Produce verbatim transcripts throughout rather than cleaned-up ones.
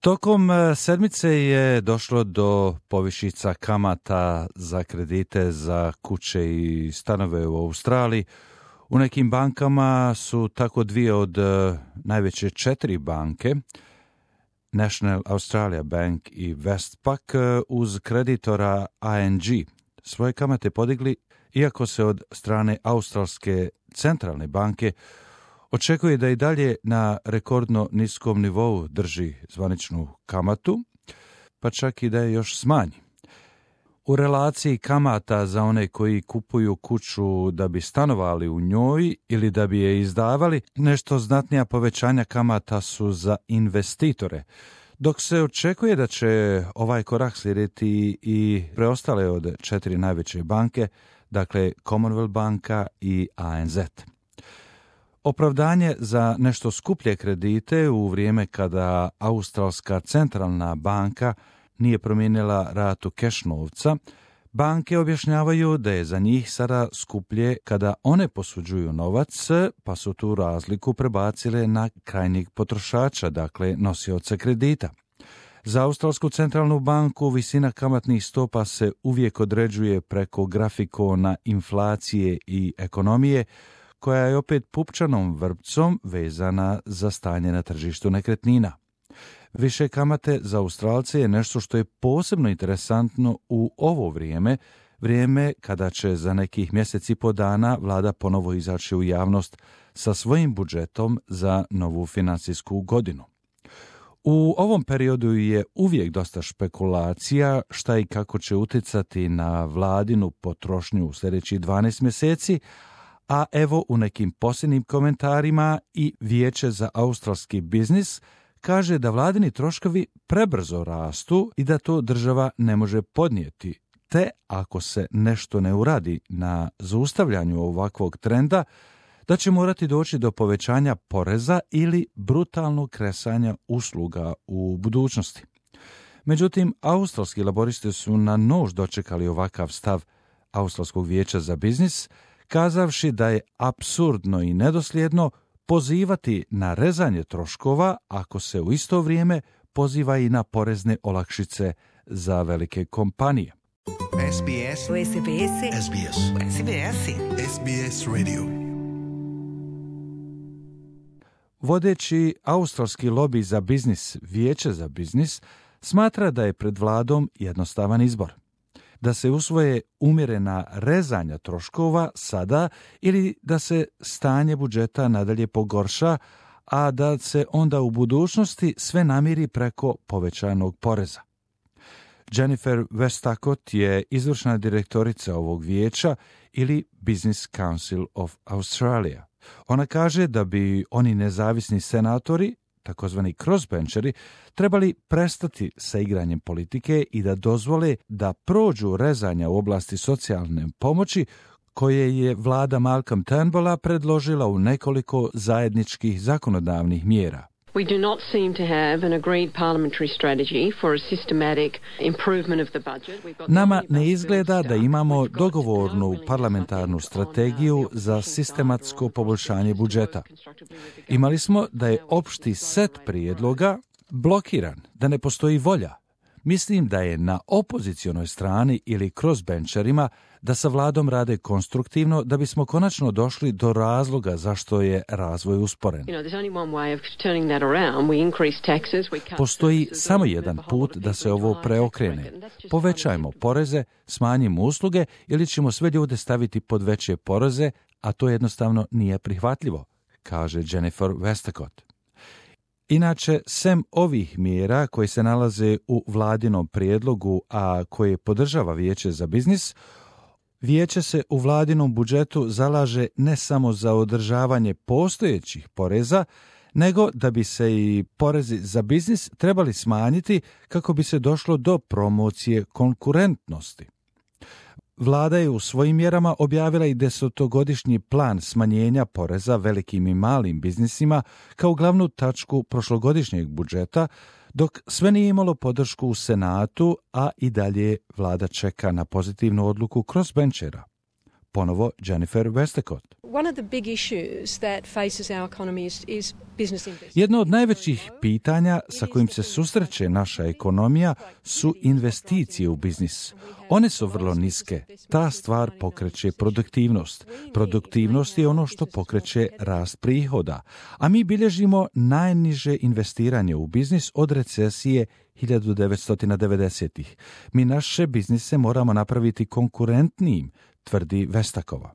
Tokom sedmice je došlo do povišica kamata za kredite za kuće i stanove u Australiji. U nekim bankama su tako dvije od najveće četiri banke, National Australia Bank i Westpac, uz kreditora A N G svoje kamate podigli, iako se od strane Australske centralne banke očekuje da i dalje na rekordno niskom nivou drži zvaničnu kamatu, pa čak i da je još smanji. U relaciji kamata za one koji kupuju kuću da bi stanovali u njoj ili da bi je izdavali, nešto znatnija povećanja kamata su za investitore, dok se očekuje da će ovaj korak slijediti i preostale od četiri najveće banke, dakle Commonwealth banka i A N Z. Opravdanje za nešto skuplje kredite u vrijeme kada Australska centralna banka nije promijenila ratu keš novca, banke objašnjavaju da je za njih sada skuplje kada one posuđuju novac, pa su tu razliku prebacile na krajnjeg potrošača, dakle nosioca kredita. Za Australsku centralnu banku visina kamatnih stopa se uvijek određuje preko grafikona inflacije i ekonomije, koja je opet pupčanom vrpcom vezana za stanje na tržištu nekretnina. Više kamate za Australce je nešto što je posebno interesantno u ovo vrijeme, vrijeme kada će za nekih mjesec i po dana vlada ponovo izaći u javnost sa svojim budžetom za novu financijsku godinu. U ovom periodu je uvijek dosta špekulacija šta i kako će utjecati na vladinu potrošnju u sljedećih dvanaest mjeseci, a evo u nekim posljednjim komentarima i Vijeće za australski biznis kaže da vladini troškovi prebrzo rastu i da to država ne može podnijeti, te ako se nešto ne uradi na zaustavljanju ovakvog trenda, da će morati doći do povećanja poreza ili brutalnog kresanja usluga u budućnosti. Međutim, australski laboristi su na nož dočekali ovakav stav Australskog vijeća za biznis, kazavši da je apsurdno i nedosljedno pozivati na rezanje troškova ako se u isto vrijeme poziva i na porezne olakšice za velike kompanije. S B S. S B S. S B S. S B S. S B S Radio. Vodeći australski lobi za biznis, Vijeće za biznis, smatra da je pred vladom jednostavan izbor. Da se usvoje umjerena rezanja troškova sada ili da se stanje budžeta nadalje pogorša, a da se onda u budućnosti sve namiri preko povećanog poreza. Jennifer Westacott je izvršna direktorica ovog vijeća ili Business Council of Australia. Ona kaže da bi oni nezavisni senatori, takozvani crossbencheri, trebali prestati sa igranjem politike i da dozvole da prođu rezanja u oblasti socijalne pomoći koje je vlada Malcolm Turnbulla predložila u nekoliko zajedničkih zakonodavnih mjera. We do not seem to have an agreed parliamentary strategy for a systematic improvement of the budget. Nama ne izgleda da imamo dogovornu parlamentarnu strategiju za sistematsko poboljšanje budžeta. Imali smo da je opšti set prijedloga blokiran, da ne postoji volja. Mislim da je na opozicionoj strani ili crossbencherima da sa vladom rade konstruktivno da bismo konačno došli do razloga zašto je razvoj usporen. Postoji samo jedan put da se ovo preokrene. Povećajmo poreze, smanjimo usluge ili ćemo sve ljude staviti pod veće poreze, a to jednostavno nije prihvatljivo, kaže Jennifer Westacott. Inače, sem ovih mjera koje se nalaze u vladinom prijedlogu, a koje podržava Vijeće za biznis, Vijeće se u vladinom budžetu zalaže ne samo za održavanje postojećih poreza, nego da bi se i porezi za biznis trebali smanjiti kako bi se došlo do promocije konkurentnosti. Vlada je u svojim mjerama objavila i desetogodišnji plan smanjenja poreza velikim i malim biznisima kao glavnu tačku prošlogodišnjeg budžeta, dok sve nije imalo podršku u Senatu, a i dalje vlada čeka na pozitivnu odluku crossbenchera. ponovo Jennifer Westacott. One of the big issues that faces our economy is, is business investment. Jedno od najvećih pitanja sa kojim se susreće naša ekonomija su investicije u biznis. One su vrlo niske. Ta stvar pokreće produktivnost. Produktivnost je ono što pokreće rast prihoda. A mi bilježimo najniže investiranje u biznis od recesije hiljadu devetsto devedesetih. Mi naše biznise moramo napraviti konkurentnijim, tvrdi Vestakova.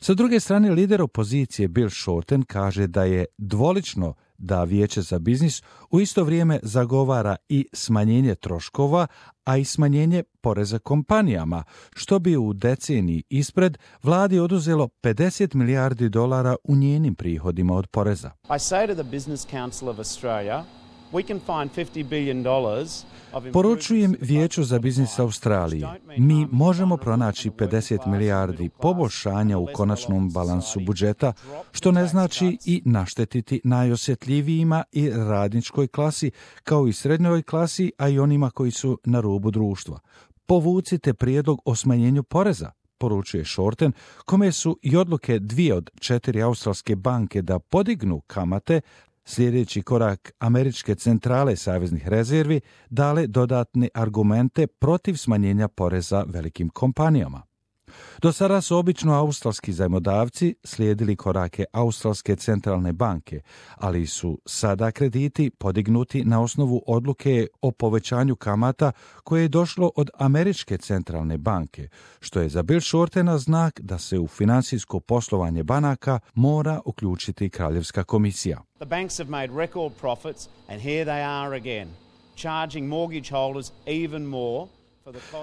Sa druge strane, lider opozicije Bill Shorten kaže da je dvolično da Vijeće za biznis u isto vrijeme zagovara i smanjenje troškova, a i smanjenje poreza kompanijama, što bi u deceniji ispred vladi oduzelo pedeset milijardi dolara u njenim prihodima od poreza. I say to the Business Council of Australia, we can find fifty billion dollars. Poručujem Vijeću za biznis Australije, mi možemo pronaći pedeset milijardi poboljšanja u konačnom balansu budžeta, što ne znači i naštetiti najosjetljivijima i radničkoj klasi, kao i srednjoj klasi, a i onima koji su na rubu društva. Povucite prijedlog o smanjenju poreza, poručuje Shorten, kome su i odluke dvije od četiri australske banke da podignu kamate, sljedeći korak američke centrale saveznih rezervi, dale dodatne argumente protiv smanjenja poreza velikim kompanijama. Do sada su obično australski zajmodavci slijedili korake Australske centralne banke, ali su sada krediti podignuti na osnovu odluke o povećanju kamata koje je došlo od Američke centralne banke, što je za Bill Shortena znak da se u financijsko poslovanje banaka mora uključiti Kraljevska komisija. The banks have made record profits and here they are again, charging mortgage holders even more.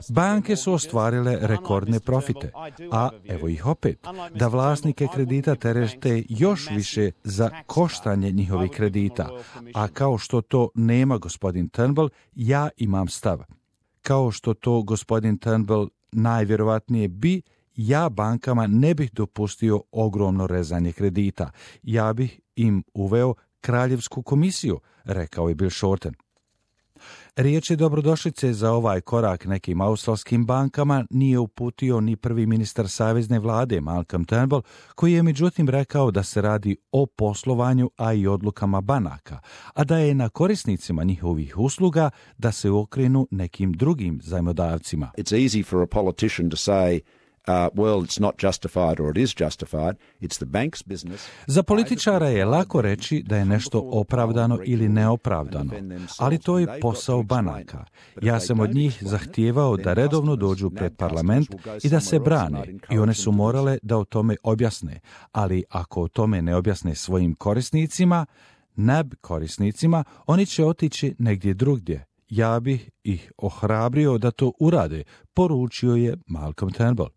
Banke su ostvarile rekordne profite, a evo ih opet, da vlasnike kredita terete još više za koštanje njihovih kredita, a kao što to nema gospodin Turnbull, ja imam stav. Kao što to gospodin Turnbull najvjerovatnije bi, ja bankama ne bih dopustio ogromno rezanje kredita. Ja bih im uveo Kraljevsku komisiju, rekao je Bill Shorten. Riječi dobrodošlice za ovaj korak nekim australskim bankama nije uputio ni prvi ministar savezne vlade Malcolm Turnbull, koji je međutim rekao da se radi o poslovanju, a i odlukama banaka, a da je na korisnicima njihovih usluga da se okrenu nekim drugim zajmodavcima. It's easy for a politician to say Uh, well, it's not justified or it is justified. It's the bank's business. Za političara je lako reći da je nešto opravdano ili neopravdano, ali to je posao banaka. Ja sam od njih zahtijevao da redovno dođu pred parlament i da se brane, i one su morale da o tome objasne, ali ako o tome ne objasne svojim korisnicima, N A B korisnicima, oni će otići negdje drugdje. Ja bih ih ohrabrio da to urade, poručio je Malcolm Turnbull.